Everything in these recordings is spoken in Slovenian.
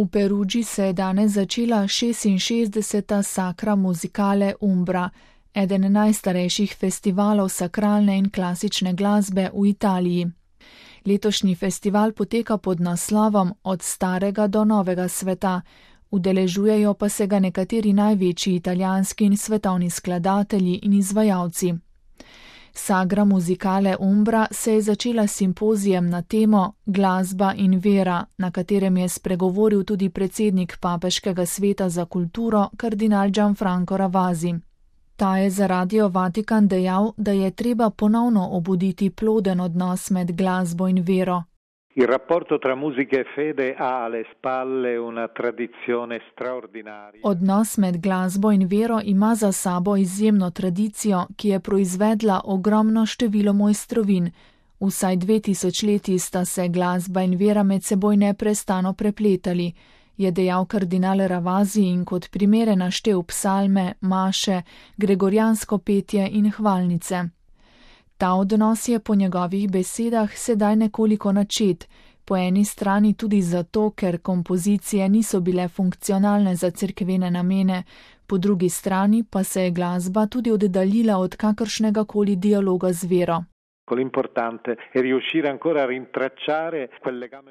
V Perugii se je danes začela 66. Sacra Musicale Umbra, eden najstarejših festivalov sakralne in klasične glasbe v Italiji. Letošnji festival poteka pod naslovom Od starega do novega sveta, udeležujejo pa se ga nekateri največji italijanski in svetovni skladatelji in izvajalci. Sacra Musicale Umbra se je začela s simpozijem na temo Glasba in vera, na katerem je spregovoril tudi predsednik Papeškega sveta za kulturo kardinal Gianfranco Ravasi. Ta je za Radio Vatikan dejal, da je treba ponovno obuditi ploden odnos med glasbo in vero. Il rapporto tra musica e fede ha alle spalle una tradizione straordinaria. Odnos med glasbo in vero ima za sabo izjemno tradicijo, ki je proizvedla ogromno število mojstrovin. Vsaj 2000 leti sta se glasba in vera med seboj neprestano prepletali, je dejal kardinal Ravasi in kot primere naštel psalme, maše, gregorijansko petje in hvalnice. Ta odnos je po njegovih besedah sedaj nekoliko načet, po eni strani tudi zato, ker kompozicije niso bile funkcionalne za cerkvene namene, po drugi strani pa se je glasba tudi oddaljila od kakršnega koli dialoga z vero.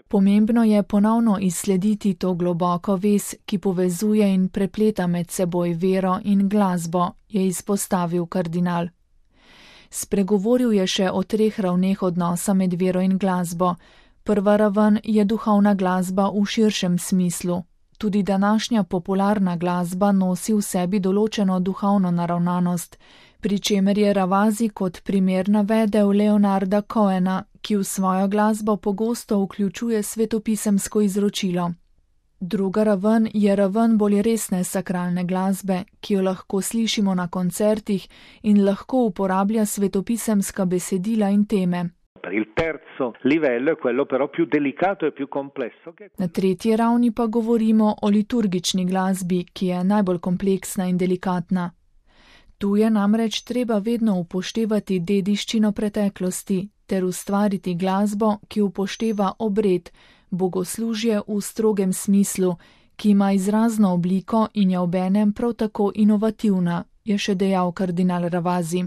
Pomembno je ponovno izslediti to globoko vez, ki povezuje in prepleta med seboj vero in glasbo, je izpostavil kardinal. Spregovoril je še o 3 ravneh odnosa med vero in glasbo. Prva raven je duhovna glasba v širšem smislu. Tudi današnja popularna glasba nosi v sebi določeno duhovno naravnanost, pri čemer je Ravasi kot primer navedel Leonarda Cohena, ki v svojo glasbo pogosto vključuje svetopisemsko izročilo. Druga raven je raven bolj resne sakralne glasbe, ki jo lahko slišimo na koncertih in lahko uporablja svetopisemska besedila in teme. Na tretji ravni pa govorimo o liturgični glasbi, ki je najbolj kompleksna in delikatna. Tu je namreč treba vedno upoštevati dediščino preteklosti ter ustvariti glasbo, ki upošteva obred, bogoslužje v strogem smislu, ki ima izrazno obliko in je obenem prav tako inovativna, je še dejal kardinal Ravasi.